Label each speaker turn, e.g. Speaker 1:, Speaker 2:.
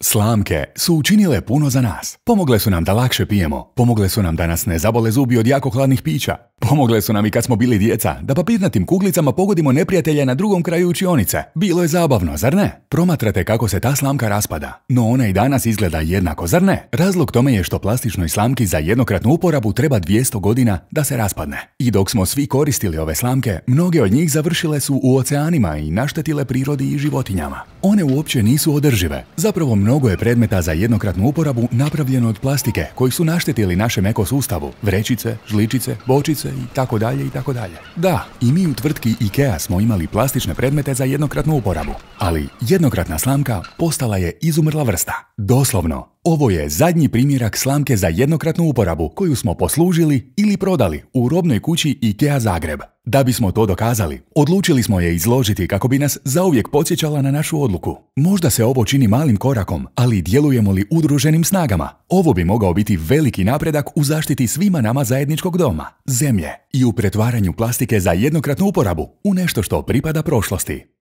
Speaker 1: Slamke su učinile puno za nas. Pomogle su nam da lakše pijemo, pomogle su nam da nas ne zabole zubi od jako hladnih pića. Pomogle su nam i kad smo bili djeca, da papirnatim kuglicama pogodimo neprijatelja na drugom kraju učionice. Bilo je zabavno, zar ne? Promatrate kako se ta slamka raspada, no ona i danas izgleda jednako, zar ne? Razlog tome je što plastičnoj slamki za jednokratnu uporabu treba 200 godina da se raspadne. I dok smo svi koristili ove slamke, mnoge od njih završile su u oceanima i naštetile prirodi i životinjama. One uopće nisu održive. Zapravo mnogo je predmeta za jednokratnu uporabu napravljeno od plastike koji su naštetili našem ekosustavu. Vrećice, žličice, bočice i tako dalje i tako dalje. Da, i mi u tvrtki IKEA smo imali plastične predmete za jednokratnu uporabu. Ali jednokratna slamka postala je izumrla vrsta. Doslovno, ovo je zadnji primjerak slamke za jednokratnu uporabu koju smo poslužili ili prodali u robnoj kući IKEA Zagreb. Da bismo to dokazali, odlučili smo je izložiti kako bi nas zauvijek podsjećala na našu odluku. Možda se ovo čini malim korakom, ali djelujemo li udruženim snagama, ovo bi mogao biti veliki napredak u zaštiti svima nama zajedničkog doma, zemlje i u pretvaranju plastike za jednokratnu uporabu u nešto što pripada prošlosti.